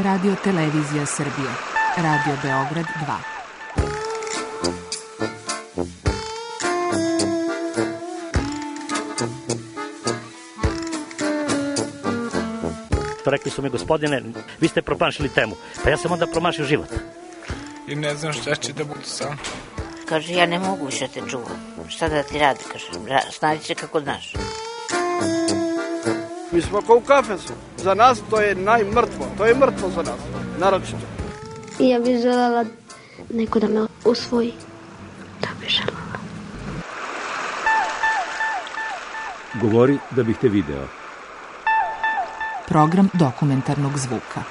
Radio Televizija Srbije. Radio Beograd 2. Rekli su mi, gospodine, vi ste promašili temu. Pa ja sam onda promašio život. I ne znam šta će da bude sam. Kaže, ja ne mogu više te čuvam. Šta da ti radi, kaže, snađi se kako znaš. Mi smo kao u kafesu. Za nas to je najmrtvo. To je mrtvo za nas, naročito. Ja bih želela neko da me usvoji. Da bih želela. Govori da bih te video. Program dokumentarnog zvuka.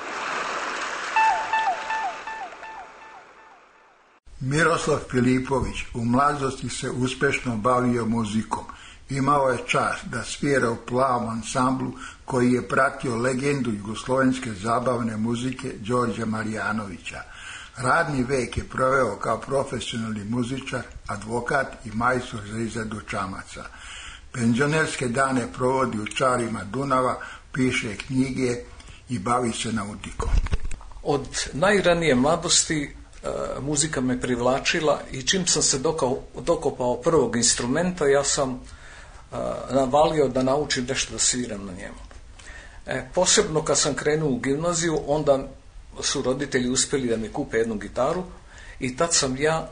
Miroslav Filipović u mladosti se uspešno bavio muzikom. Imao je čast da svira u plavom ansamblu koji je pratio legendu jugoslovenske zabavne muzike Đorđa Marjanovića. Radni vek je proveo kao profesionalni muzičar, advokat i majstor za izradu čamaca. Penzionerske dane provodi u čarima Dunava, piše knjige i bavi se nautikom. Od najranije mladosti muzika me privlačila i čim sam se dokopao prvog instrumenta, ja sam navalio da naučim nešto da sviram na njemu. Posebno kad sam krenuo u gimnaziju, onda su roditelji uspjeli da mi kupe jednu gitaru i tad sam ja,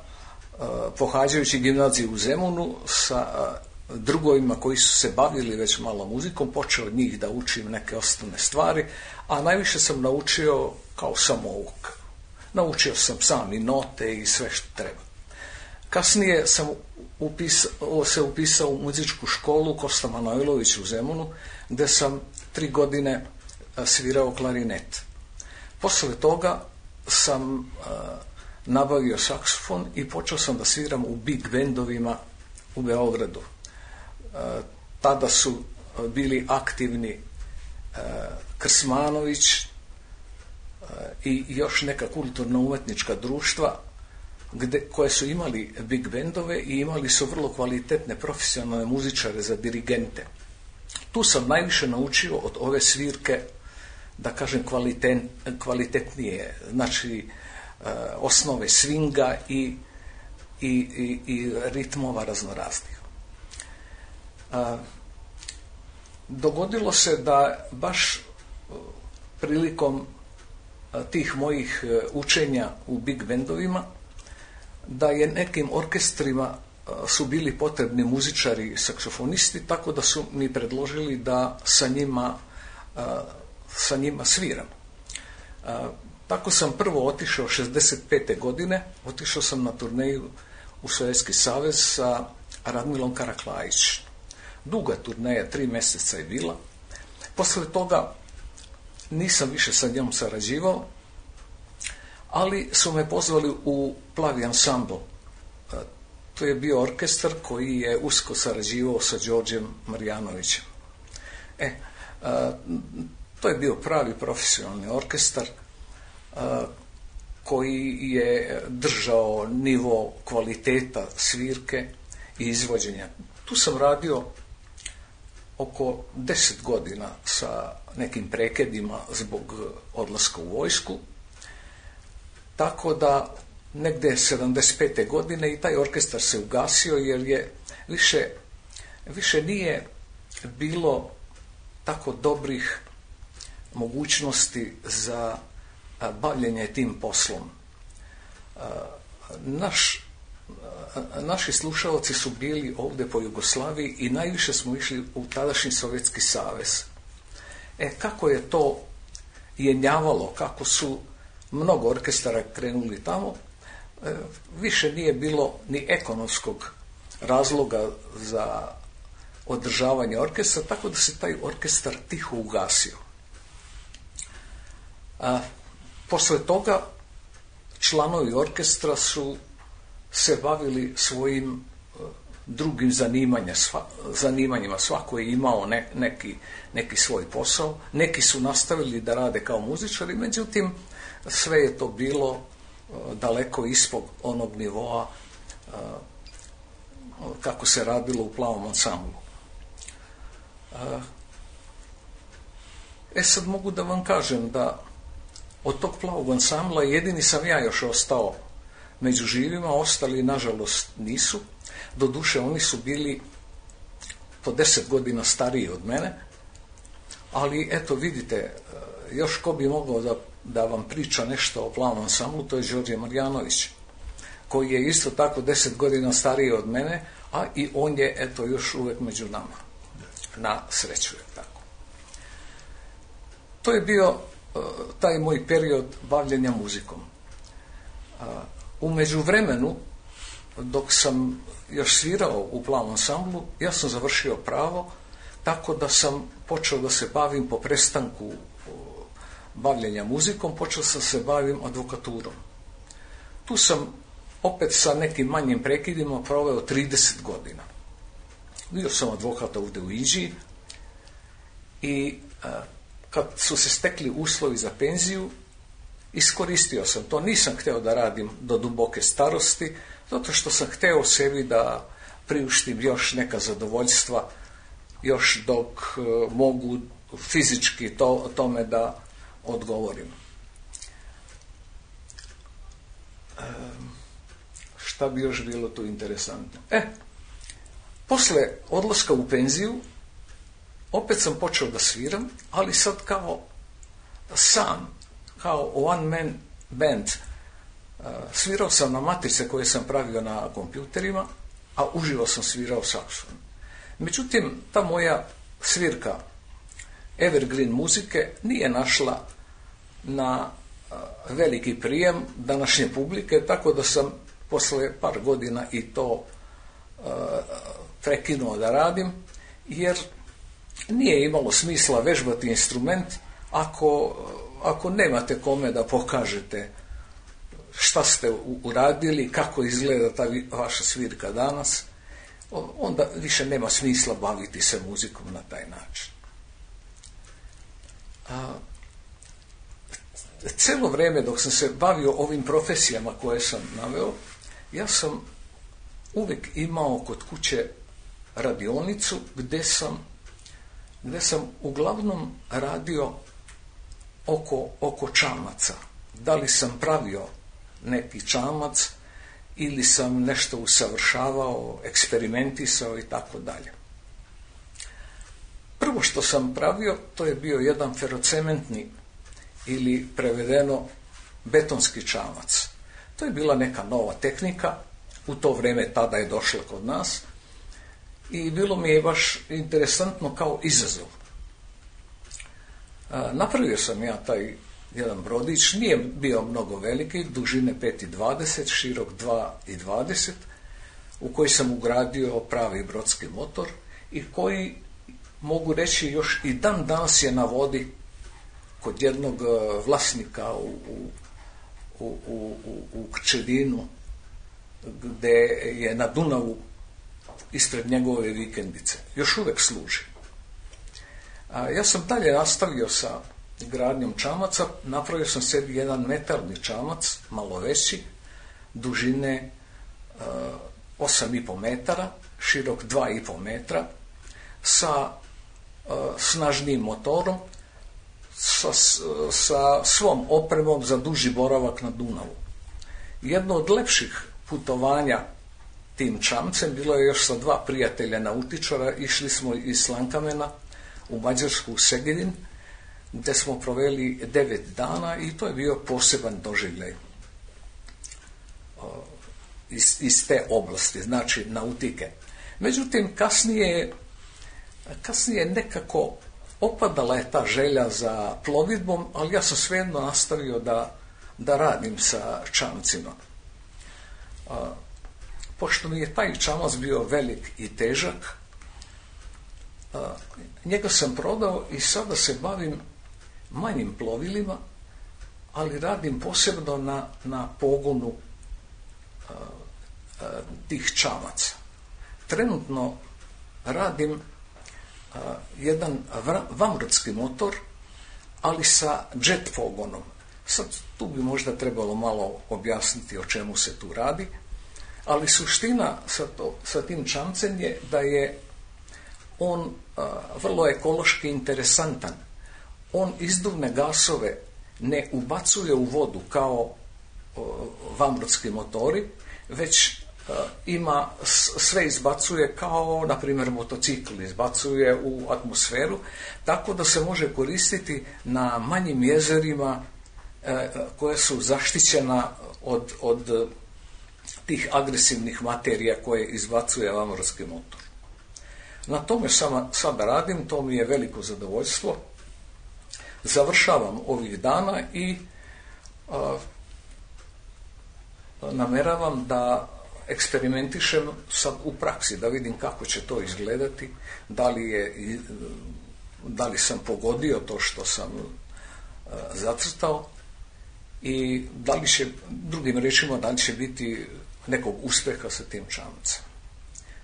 pohađajući gimnaziju u Zemunu, sa drugovima koji su se bavili već malo muzikom, počeo od njih da učim neke osnovne stvari, a najviše sam naučio kao samouk. Naučio sam sam i note i sve što treba. Kasnije sam se upisao u muzičku školu Kosta Manojlović u Zemunu, gdje sam 3 godine svirao klarinet. Posle toga sam nabavio saksofon i počeo sam da sviram u big bendovima u Beogradu. Tada su bili aktivni Krsmanović i još neka kulturno-umetnička društva koje su imali big bendove i imali su vrlo kvalitetne profesionalne muzičare za dirigente. Tu sam najviše naučio od ove svirke, da kažem, kvalitetnije, znači osnove swinga i ritmova raznoraznih. Dogodilo se da baš prilikom tih mojih učenja u big bendovima, da je nekim orkestrima su bili potrebni muzičari, saksofonisti, tako da su mi predložili da sa njima sviram. Tako sam prvo otišao 65. godine, otišao sam na turneju u Sovjetski savez sa Radmilom Karaklajić. Duga turneja, 3 mjeseca je bila. Posle toga nisam više sa njom sarađivao, ali su me pozvali u Plavi ansambl. To je bio orkestar koji je usko sarađivao sa Đorđem Marjanovićem. To je bio pravi profesionalni orkestar koji je držao nivo kvaliteta svirke i izvođenja. Tu sam radio oko 10 godina sa nekim prekidima zbog odlaska u vojsku, tako da negde 75. godine i taj orkestar se ugasio jer je više nije bilo tako dobrih mogućnosti za bavljenje tim poslom. Naši slušalci su bili ovdje po Jugoslaviji i najviše smo išli u tadašnji Sovjetski savez. Kako je to jenjavalo, kako su mnogo orkestara krenuli tamo, više nije bilo ni ekonomskog razloga za održavanje orkestra, tako da se taj orkestar tiho ugasio. Posle toga članovi orkestra su se bavili svojim drugim zanimanjima. Svako je imao neki svoj posao. Neki su nastavili da rade kao muzičari, međutim sve je to bilo daleko ispod onog nivoa kako se radilo u Plavom ansamblu. Sad mogu da vam kažem da od tog plavog ansambla jedini sam ja još ostao među živima, ostali nažalost nisu. Doduše oni su bili po 10 godina stariji od mene, ali eto vidite, još ko bi mogao da vam priča nešto o plavom ansamblu, to je Đorđe Marjanović, koji je isto tako 10 godina stariji od mene, a i on je eto još uvek među nama. Na sreću je tako. To je bio taj moj period bavljenja muzikom. U međuvremenu, dok sam još svirao u plavom ansamblu, ja sam završio pravo, tako da sam počeo da se bavim po prestanku bavljenja muzikom, počeo sam se bavim advokaturom. Tu sam opet sa nekim manjim prekidima proveo 30 godina. Bio sam advokat ovdje u Inđiji i kad su se stekli uslovi za penziju, iskoristio sam to. Nisam hteo da radim do duboke starosti, zato što sam hteo sebi da priuštim još neka zadovoljstva, još dok mogu fizički tome da odgovorim. Šta bi još bilo tu interesantno? Posle odlaska u penziju, opet sam počeo da sviram, ali sad kao sam, kao one man band. Svirao sam na matrice koje sam pravio na kompjuterima, a uživo sam svirao saksofon. Međutim, ta moja svirka evergreen muzike nije našla na veliki prijem današnje publike, tako da sam posle par godina i to prekinuo da radim, jer nije imalo smisla vežbati instrument ako nemate kome da pokažete šta ste uradili, kako izgleda ta vaša svirka danas, onda više nema smisla baviti se muzikom na taj način. Celo vreme dok sam se bavio ovim profesijama koje sam naveo, ja sam uvijek imao kod kuće radionicu gde sam uglavnom radio oko čamaca. Da li sam pravio neki čamac ili sam nešto usavršavao, eksperimentisao i tako dalje. Prvo što sam pravio, to je bio jedan ferocementni ili prevedeno betonski čamac. To je bila neka nova tehnika, u to vreme tada je došla kod nas i bilo mi je baš interesantno kao izazov. Napravio sam ja taj jedan brodić, nije bio mnogo veliki, dužine 5,20, širok 2,20, u koji sam ugradio pravi brodski motor i koji, mogu reći, još i dan danas je na vodi kod jednog vlasnika u Krčedinu, gde je na Dunavu ispred njegove vikendice. Još uvek služi. Ja sam dalje nastavio sa gradnjom čamaca, napravio sam sebi jedan metalni čamac, malo veći, dužine 8,5 metara, širok 2,5 metra, sa snažnijim motorom, sa svom opremom za duži boravak na Dunavu. Jedno od lepših putovanja tim čamcem bilo je još sa 2 prijatelja nautičara. Išli smo iz Slankamena u Mađarsku, u Segedin, gde smo proveli 9 dana i to je bio poseban doživljaj iz te oblasti, znači nautike. Međutim, kasnije nekako opadala je ta želja za plovidbom, ali ja sam svejedno nastavio da radim sa čamcima. Pošto mi je taj čamac bio velik i težak, njega sam prodao i sada se bavim manjim plovilima, ali radim posebno na pogonu tih čamaca. Trenutno radim jedan vanbrodski motor, ali sa jet pogonom. Sad tu bi možda trebalo malo objasniti o čemu se tu radi, ali suština sa tim čamcem je da je on vrlo ekološki interesantan. On izduvne gasove ne ubacuje u vodu kao vanbrodski motori, već ima, sve izbacuje kao, na primjer, motocikl izbacuje u atmosferu, tako da se može koristiti na manjim jezerima koje su zaštićena od tih agresivnih materija koje izbacuje vanbrodski motor. Na tome sada radim, to mi je veliko zadovoljstvo. Završavam ovih dana i nameravam da eksperimentišem sad u praksi, da vidim kako će to izgledati, da li sam pogodio to što sam zacrtao i da li će, drugim rečima, da li će biti nekog uspjeha sa tim čamcem.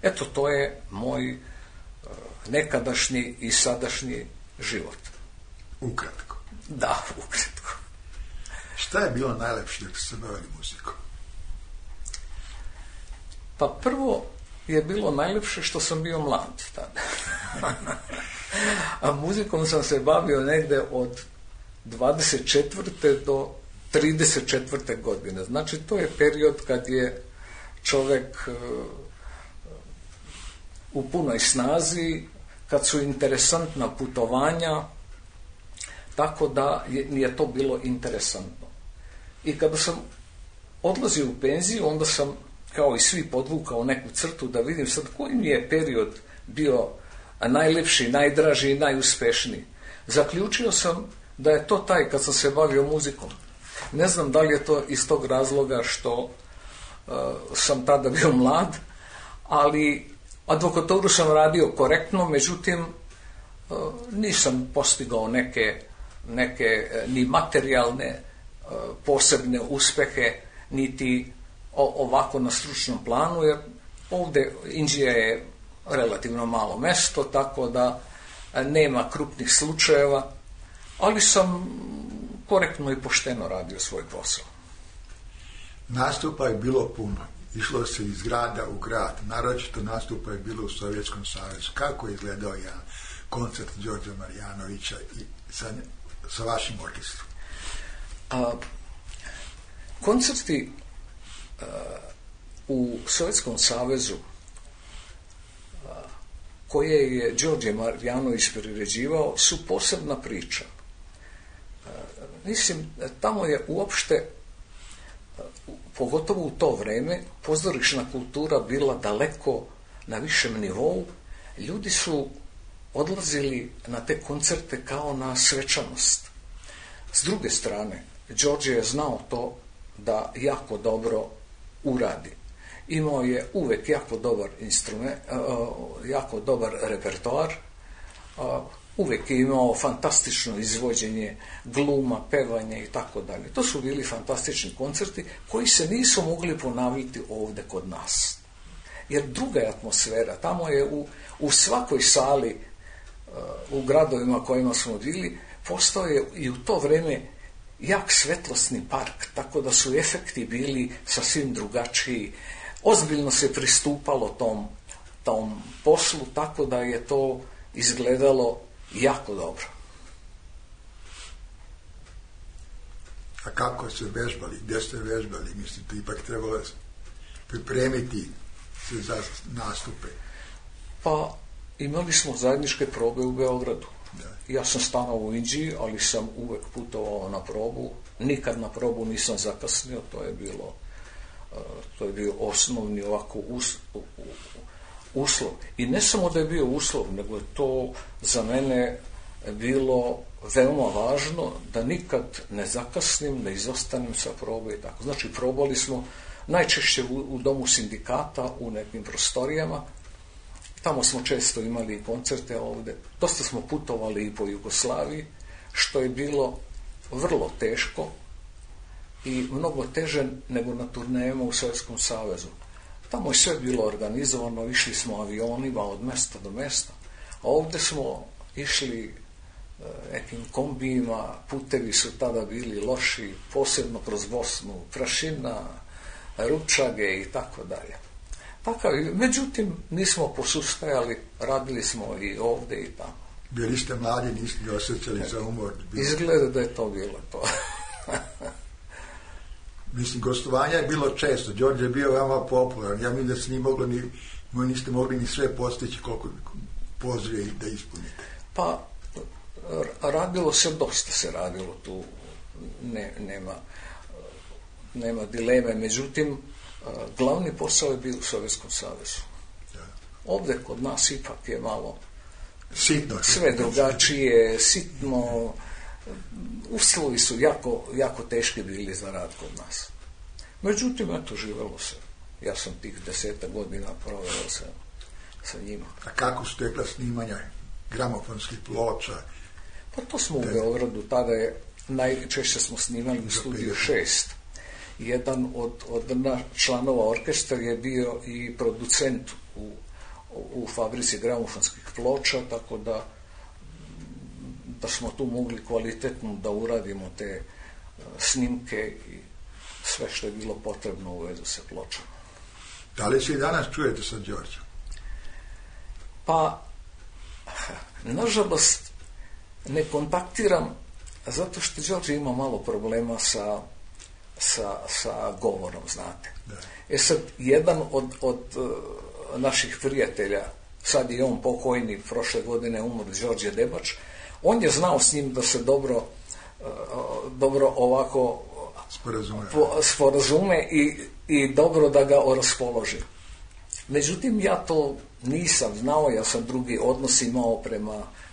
Eto, to je moj nekadašnji i sadašnji život. Ukratko. Da, ukratko. Šta je bilo najlepše dok ste bavili muzikom? Pa prvo je bilo najlepše što sam bio mlad tada. A muzikom sam se bavio negde od 24. do 34. godine. Znači, to je period kad je čovjek u punoj snazi, kad su interesantna putovanja, tako da je to bilo interesantno. I kada sam odlazio u penziju, onda sam, kao i svi, podvukao neku crtu da vidim sad koji mi je period bio najlepši, najdraži i najuspešniji. Zaključio sam da je to taj kad sam se bavio muzikom. Ne znam da li je to iz tog razloga što sam tada bio mlad, ali advokaturu sam radio korektno, međutim nisam postigao neke ni materijalne posebne uspehe, niti ovako na stručnom planu, jer ovdje Inđija je relativno malo mesto, tako da nema krupnih slučajeva, ali sam korektno i pošteno radio svoj posao. Nastupa je bilo puno. Išlo se iz grada u grad. Naročito nastupa je bilo u Sovjetskom savezu. Kako je izgledao jedan koncert Đorđa Marjanovića i sa vašim orkestrom? Koncerti u Sovjetskom savezu koje je Đorđe Marjanović priređivao su posebna priča. Mislim, tamo je uopšte, pogotovo u to vreme, pozorišna kultura bila daleko na višem nivou. Ljudi su odlazili na te koncerte kao na svečanost. S druge strane, Đorđe je znao to da jako dobro uradi. Imao je uvek jako dobar instrument, jako dobar repertoar, uvek je imao fantastično izvođenje gluma, pevanje i tako dalje. To su bili fantastični koncerti koji se nisu mogli ponavljati ovdje kod nas. Jer druga je atmosfera. Tamo je u svakoj sali u gradovima kojima smo bili postao je i u to vreme jak svetlosni park, tako da su efekti bili sasvim drugačiji. Ozbiljno se pristupalo tom poslu, tako da je to izgledalo jako dobro. A kako ste vežbali? Gdje ste vežbali? Mislite, ipak trebalo pripremiti se za nastupe? Pa, imali smo zajedničke probe u Beogradu. Da. Ja sam stanovao u Inđiji, ali sam uvek putovao na probu. Nikad na probu nisam zakasnio, to je bio osnovni ovako uslov. I ne samo da je bio uslov, nego je to za mene bilo veoma važno da nikad ne zakasnim, ne izostanem sa probe i tako. Znači, probali smo najčešće u domu sindikata, u nekim prostorijama. Tamo smo često imali koncerte ovdje. Dosta smo putovali i po Jugoslaviji, što je bilo vrlo teško i mnogo teže nego na turnejama u Sovjetskom savezu. Tamo je sve bilo organizovano, išli smo avionima od mesta do mesta, a ovdje smo išli nekim kombijima, putevi su tada bili loši, posebno kroz Bosnu, prašina, ručage i tako dalje. Međutim, nismo posustajali, radili smo i ovdje i tamo. Bili ste mladi, niste li osjećali za umor? Izgleda da je to bilo to. Mislim, gostovanja je bilo često. Đorđe je bio veoma popularan. Ja mislim da se niste mogli ni sve postići koliko pozive da ispunite. Pa, radilo se, dosta se radilo tu. Nema dileme. Međutim, glavni posao je bio u Sovjetskom savezu. Ovdje kod nas ipak je malo sitno, sve drugačije, sitno. Uslovi su jako teški bili za rad kod nas. Međutim, eto, živelo se. Ja sam tih 10 godina proveo sa njima. A kako su tekla snimanja gramofonskih ploča? Pa to smo u Beogradu, tada je najčešće smo snimali u studiju 6. Jedan od članova orkestra je bio i producent u fabrici gramofonskih ploča, tako da smo tu mogli kvalitetno da uradimo te snimke i sve što je bilo potrebno u vezu sa pločama. Da li se i danas čujete sa Đorđem? Pa, nažalost, ne kontaktiram zato što Đorđe ima malo problema sa govorom, znate. Da. Sad, jedan od naših prijatelja, sad je on pokojni, prošle godine umro, Đorđe Debač, on je znao s njim da se dobro ovako sporazume i dobro da ga raspoloži. Međutim, ja to nisam znao, ja sam drugi odnos imao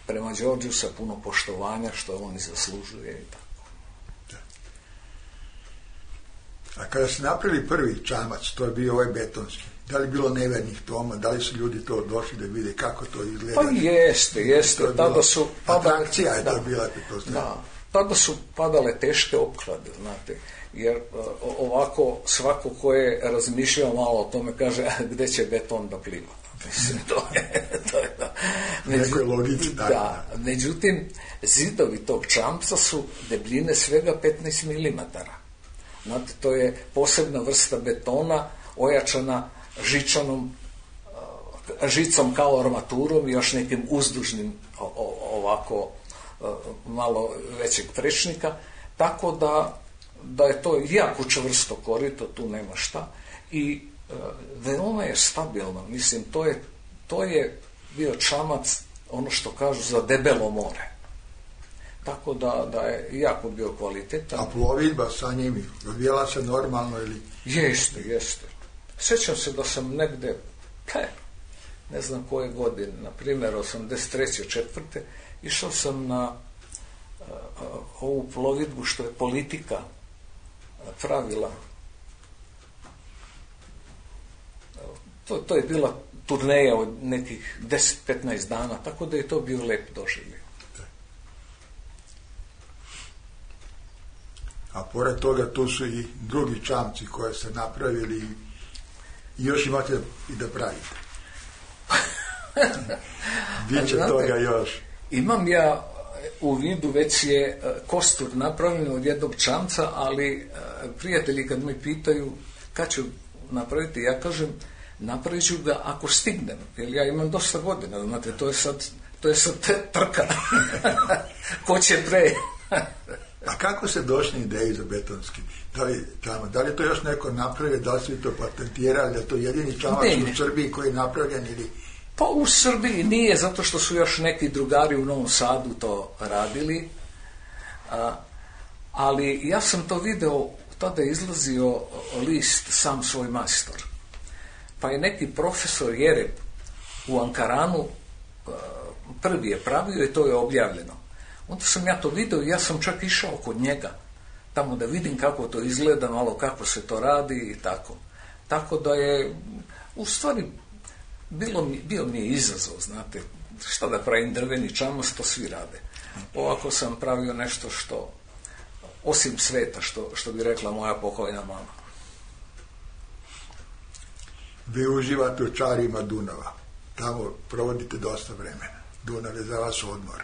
prema Đorđu sa puno poštovanja, što on i zaslužuje i tako. Da. A kada ste napravili prvi čamac, to je bio ovaj betonski, da li bilo nevernih toma, da li su ljudi to došli da vide kako to izgleda? Pa jeste. Tada su atrakcija je to bila. Da, tada su padale teške opklade, znate, jer ovako svako ko je razmišljao malo o tome kaže gde će beton da pliva. Mislim, to je da. Nekoj logici, da. Međutim, zidovi tog čamca su debljine svega 15 mm. Znate, to je posebna vrsta betona ojačana žicom kao armaturom i još nekim uzdužnim ovako malo većeg prečnika, tako da je to jako čvrsto korito, tu nema šta i veoma je stabilno, mislim, to je bio čamac, ono što kažu, za debelo more. Tako da je jako bio kvalitetan. A plovidba sa njimi, odvijela se normalno ili? Jeste. Sjećam se da sam negde, ne znam koje godine, na primjer 83. 4. išao sam na ovu plovidbu što je Politika pravila. To je bila turneja od nekih 10-15 dana, tako da je to bio lep doživljaj. A pored toga tu su i drugi čamci koje ste napravili i još imate i da pravite. Biće toga još. Imam ja u vidu, već je kostur napravljen od jednog čamca, ali prijatelji kad me pitaju kad ću napraviti, ja kažem napravit ću ga ako stignem, jer ja imam dosta godina, znate, to je sad trka. Ko će pre? A kako se došli ideji za betonski? Da li to još neko napravio, da li su to patentirali, da je to jedini čamac u Srbiji koji je napravljen ili... Pa u Srbiji nije, zato što su još neki drugari u Novom Sadu to radili, ali ja sam to video, tada je izlazio list Sam svoj majstor. Pa je neki profesor Jereb u Ankaranu prvi je pravio i to je objavljeno. Onda sam ja to video i ja sam čak išao kod njega, tamo da vidim kako to izgleda, malo kako se to radi i tako. Tako da je, u stvari, bio mi je izazov, znate, šta da pravim drveni čamac, to svi rade. Ovako sam pravio nešto što, osim sveta, što bi rekla moja pokojna mama. Vi uživate u čarima Dunava. Tamo provodite dosta vremena. Dunav je za vas odmor.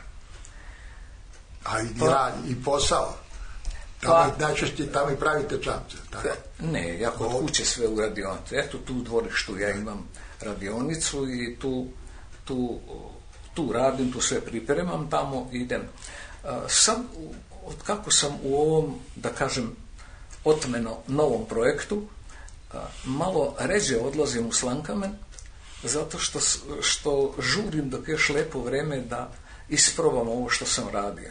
A i posao. Najčešće tamo i pravite čamce. Tako? Ne, ja kod kuće sve u radionicu. Eto tu u dvorištu ja imam radionicu i tu tu radim, tu sve pripremam, tamo idem. Sad, od kako sam u ovom, da kažem, otmeno novom projektu, malo ređe odlazim u Slankamen, zato što žurim dok još lepo vreme da isprobam ovo što sam radio.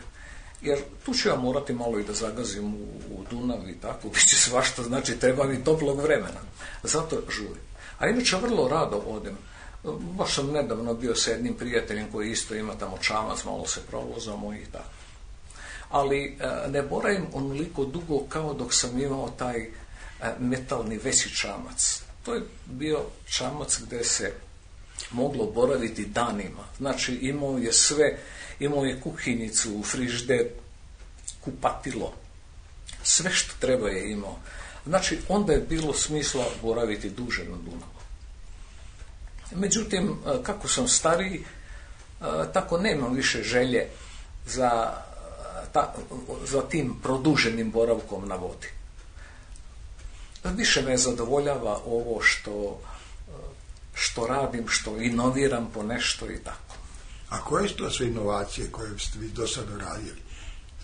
Jer tu ću ja morati malo i da zagazim u Dunav i tako, bit će svašta, znači treba mi toplog vremena. Zato žurim. A inače vrlo rado odem. Baš sam nedavno bio sa jednim prijateljem koji isto ima tamo čamac, malo se provozamo i tako. Ali ne boravim onoliko dugo kao dok sam imao taj metalni veći čamac. To je bio čamac gdje se moglo boraviti danima. Znači imao je sve, imao je kuhinjicu, frižider, kupatilo, sve što treba je imao. Znači onda je bilo smisla boraviti duže na Dunavu. Međutim, kako sam stariji, tako nemam više želje za tim produženim boravkom na vodi. Više me zadovoljava ovo što radim, što inoviram po nešto i tako. A koje su to sve inovacije koje ste vi do sada radili?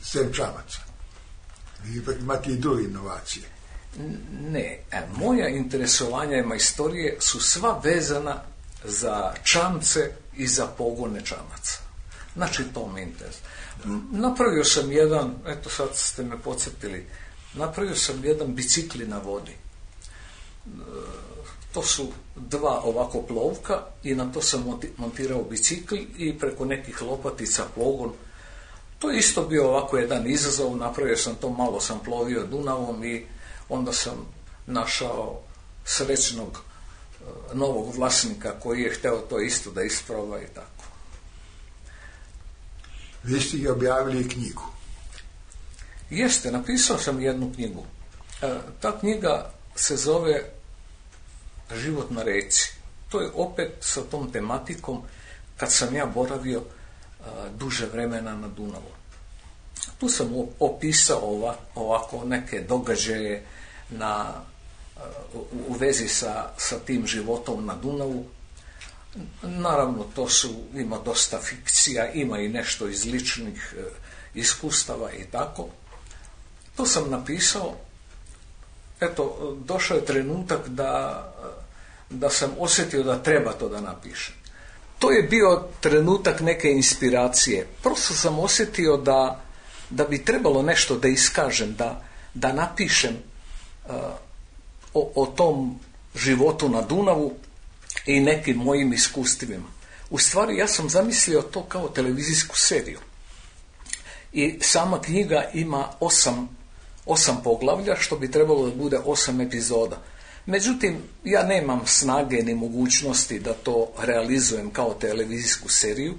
Sem čamaca. Vi ipak imate i druge inovacije. Ne, moja interesovanja i majstorije su sva vezana za čamce i za pogone čamaca. Znači to me interesuje. Napravio sam jedan, eto sad ste me podsjetili, napravio sam jedan bicikli na vodi. To su dva ovako plovka i na to sam montirao bicikl i preko nekih lopatica pogon. To je isto bio ovako jedan izazov, napravio sam to, malo sam plovio Dunavom i onda sam našao srećnog novog vlasnika koji je hteo to isto da isproba i tako. Vi ste i objavili knjigu. Jeste, napisao sam jednu knjigu. Ta knjiga se zove Život na reci. To je opet sa tom tematikom kad sam ja boravio duže vremena na Dunavu. Tu sam opisao ovako neke događaje u vezi sa tim životom na Dunavu. Naravno, ima dosta fikcija, ima i nešto iz ličnih iskustava i tako. To sam napisao. Eto, došao je trenutak da sam osjetio da treba to da napišem. To je bio trenutak neke inspiracije. Prosto sam osjetio da bi trebalo nešto da iskažem, da napišem o tom životu na Dunavu i nekim mojim iskustvima. U stvari, ja sam zamislio to kao televizijsku seriju. I sama knjiga ima 8 poglavlja, što bi trebalo da bude 8 epizoda. Međutim, ja nemam snage ni mogućnosti da to realizujem kao televizijsku seriju,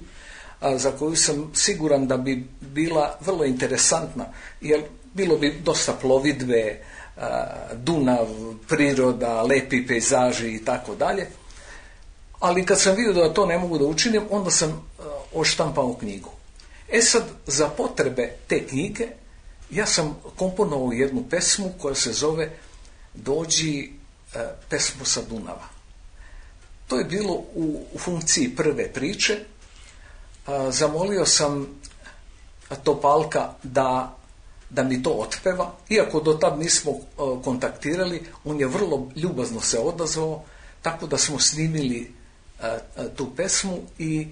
za koju sam siguran da bi bila vrlo interesantna, jer bilo bi dosta plovidbe, Dunav, priroda, lepi pejzaži i tako dalje. Ali kad sam vidio da to ne mogu da učinim, onda sam odštampao knjigu. Sad, za potrebe te knjige, ja sam komponovao jednu pesmu koja se zove Dođi pesmu sa Dunava. To je bilo u funkciji prve priče. Zamolio sam Topalka da mi to otpeva, iako do tad nismo kontaktirali, on je vrlo ljubazno se odazvao, tako da smo snimili tu pesmu i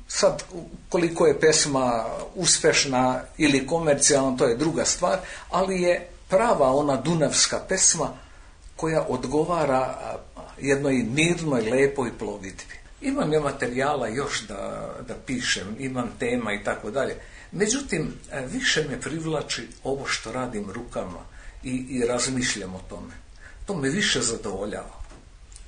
sad koliko je pesma uspešna ili komercijalna, to je druga stvar, ali je prava ona dunavska pesma koja odgovara jednoj mirnoj, lepoj plovidbi. Imam ja materijala još da pišem, imam tema i tako dalje. Međutim, više me privlači ovo što radim rukama i razmišljam o tome. To me više zadovoljava.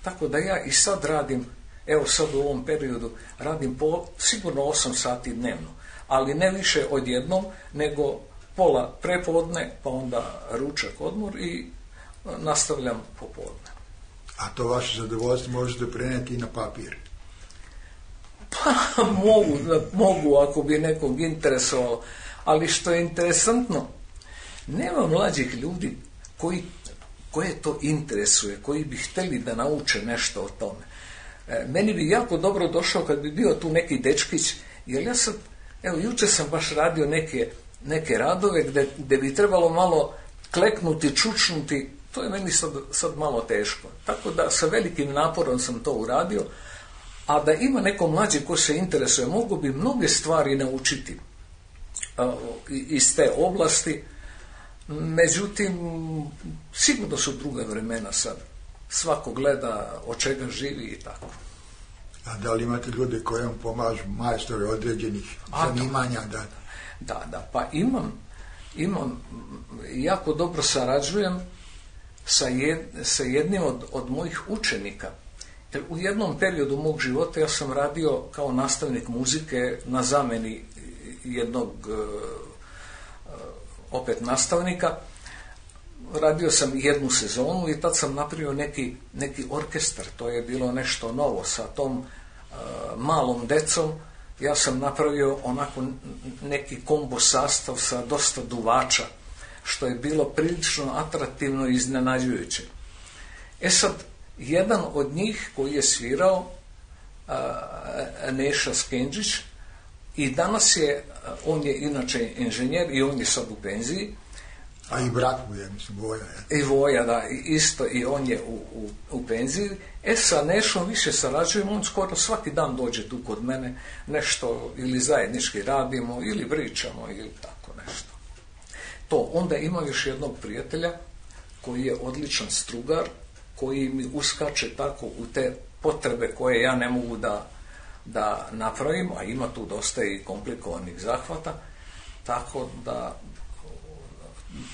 Tako da ja i sad radim, evo sad u ovom periodu, radim sigurno 8 sati dnevno, ali ne više odjednom, nego pola prepodne, pa onda ručak, odmor i nastavljam popodne. A to vaše zadovoljstvo možete prenijeti i na papir? Pa mogu ako bi nekog interesovalo, ali što je interesantno, nema mlađih ljudi koje to interesuje, koji bi htjeli da nauče nešto o tome. Meni bi jako dobro došao kad bi bio tu neki dečkić, jer ja sad, evo, jučer sam baš radio neke radove gde bi trebalo malo kleknuti, čučnuti, to je meni sad malo teško. Tako da sa velikim naporom sam to uradio, a da ima neko mlađe ko se interesuje, mogu bi mnoge stvari naučiti iz te oblasti, međutim, sigurno su druga vremena sad. Svako gleda od čega živi i tako. A da li imate ljude koji vam pomažu, majstore određenih zanimanja? Da, pa imam, jako dobro sarađujem sa jednim od mojih učenika. Jer u jednom periodu mog života ja sam radio kao nastavnik muzike na zameni jednog opet nastavnika. Radio sam jednu sezonu i tad sam napravio neki orkestar. To je bilo nešto novo sa tom malom decom. Ja sam napravio onako neki kombo sastav sa dosta duvača, što je bilo prilično atraktivno i iznenađujuće. Sad, jedan od njih koji je svirao, Neša Skenđić, i danas on je inače inženjer i on je sad u penziji. A i brat mu je, mislim, Voja. I Voja, da, isto, i on je u penziji. Sa Nešom više sarađujemo, on skoro svaki dan dođe tu kod mene, nešto ili zajednički radimo, ili pričamo, ili tako nešto. To, onda ima još jednog prijatelja koji je odličan strugar, koji mi uskače tako u te potrebe koje ja ne mogu da napravim, a ima tu dosta i komplikovanih zahvata, tako da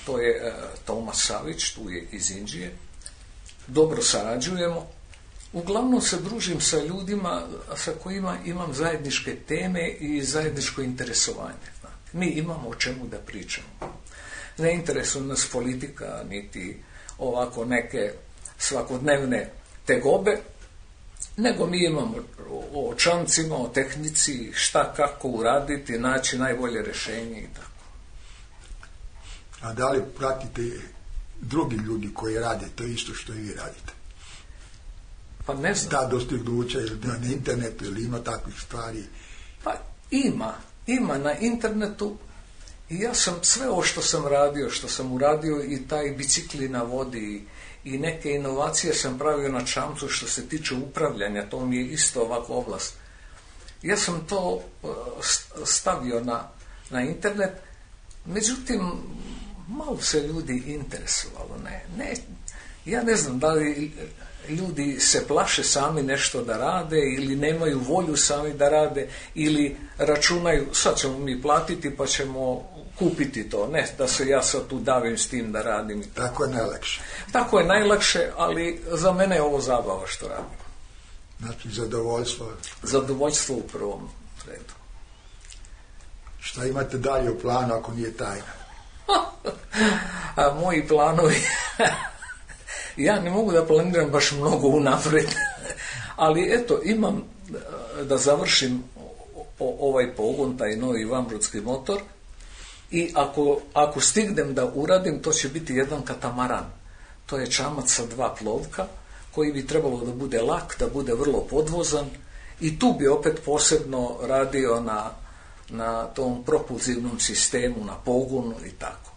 to je Tomas Savić, tu je iz Inđije. Dobro sarađujemo. Uglavnom se družim sa ljudima sa kojima imam zajedničke teme i zajedničko interesovanje. Mi imamo o čemu da pričamo. Ne interesuje nas politika, niti ovako neke svakodnevne tegobe, nego mi imamo o čamcima, o tehnici, šta, kako uraditi, naći najbolje rješenje i tako. A da li pratite drugi ljudi koji rade to isto što i vi radite? Pa ne znam. Da dostignuća ili na internetu, ili ima takvih stvari? Pa ima na internetu. I ja sam sve ovo što sam uradio i taj bicikli na vodi i neke inovacije sam pravio na čamcu što se tiče upravljanja, to mi je isto ovakva oblast. Ja sam to stavio na internet, međutim, malo se ljudi interesovalo. Ja ne znam da li ljudi se plaše sami nešto da rade ili nemaju volju sami da rade ili računaju sad ćemo mi platiti pa ćemo kupiti to. Ne da se ja sad tu davim s tim da radim. Tako je najlakše. Tako je najlakše, ali za mene je ovo zabava što radim. Znači zadovoljstvo. Zadovoljstvo u prvom redu. Šta imate dalje u planu ako nije tajna? A moji planovi... Ja ne mogu da planiram baš mnogo unaprijed, ali eto, imam da završim ovaj pogon, taj novi vanbrodski motor, i ako stignem da uradim, to će biti jedan katamaran. To je čamac sa 2 plovka, koji bi trebalo da bude lak, da bude vrlo podvozan, i tu bi opet posebno radio na tom propulzivnom sistemu, na pogonu i tako.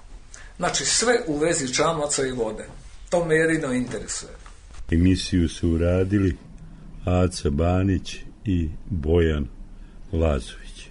Znači, sve u vezi čamaca i vode. To me jedino interesuje. Emisiju su uradili Aca Banić i Bojan Lazović.